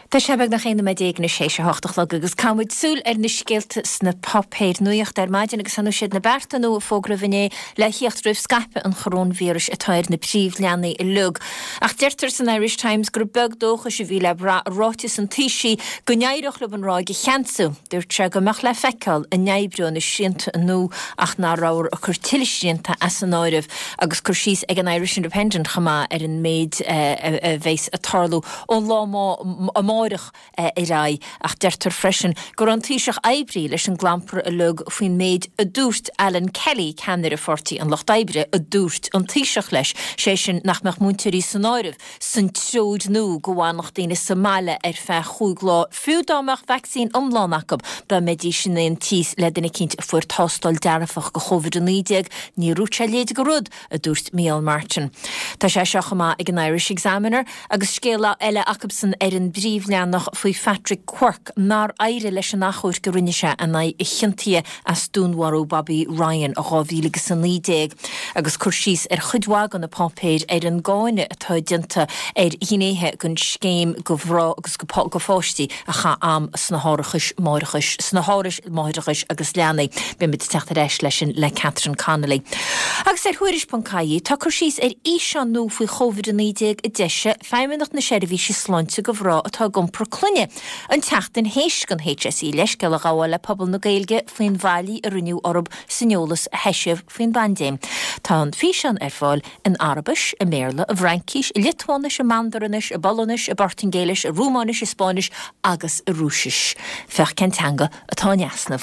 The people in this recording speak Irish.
Tá sé beagnach 11 nóiméad anois théis a hocht a chlog agus caithfidh muid súil ar na scéalta sna páipéir nuachta ar maidin agus ar ndóigh siad na bearta nua a fógraíodh inné le thíocht roimh scaipeadh an choróinvíris atá ar na príomhleathanaigh uilig. Ach deirtear san Irish Times gur beag dóchais a bhí le brath i ráiteas an Taoisigh go n-éireodh leo an ráig a cheansú. Dúirt sé go mbeadh le feiceáil an oibreodh na srianta nua ach nach rabhthar ag cur tuilleadh srianta as an áireamh agus cur síos ag an Irish Independent chomh maith ar an méid a bheas ag tarlú ón lá amáireach ar aghaidh ach deirtear freisin go raibh an Taoiseach oibrithe leis an gclampar uilig faoin méid a dúirt Alan Kelly, ceannaire Pháirtí an Lucht Oibre, a dúirt an Taoiseach leis, sé sin nach mbeadh múinteoirí san áireamh san treoir nua go bhfanfadh daoine sa mbaile ar feadh chúig lá fiú dá mbeadh vacsaín iomlán acu dá mbeidís in aon tíos le duine eicínt a fuair tástáil dearfach go Covid-19. Níor dhúirt sé a leithéid de rud. a dúirt Micheál Martin. Tá sé seo chomh maith ag an Irish Examiner agus scéal eile acubsan ar an bpríomhleathanach faoi Phatrick Quirke nár éirigh leis an achomharc a rinne sé in aghaidh a chiontaithe as dúnmharú Bobby Ryan i 2019 agus cur síos ar chuid mhaith de na páipéir ar an gcáineadh atá déanta ar ghnéithe den scéim do mhná agus do pháistí a chaith am sna hárachais máithreachais, sna hárais máithreachais agus leanaí. Beimid ag teacht ar ais leis sin le Catherine Connolly. Agus ar Thuairisc ponc ie tá cur síos ar fhíseán nua faoi Chóivid-19 a d'eisigh Feidhmeannacht na Seirbhíse Sláinte do mhná atá ag iompar clainne an tseachtain théis don HSE leithscéal a ghabháil le pobal na Gaeilge faoin bhfaillí a rinneadh orthu san eolas a heisíodh faoin bpaindéim. Tá an físeán ar fáil in Araibis, i mBéarla, i bhFraincís, i Liotuáinis, i Mandairinis, i bPolainnis, i bPortaingéilis, i Rúmáinis, i Spáinnis agus i Rúisis. Féach cén teanga atá in easnamh.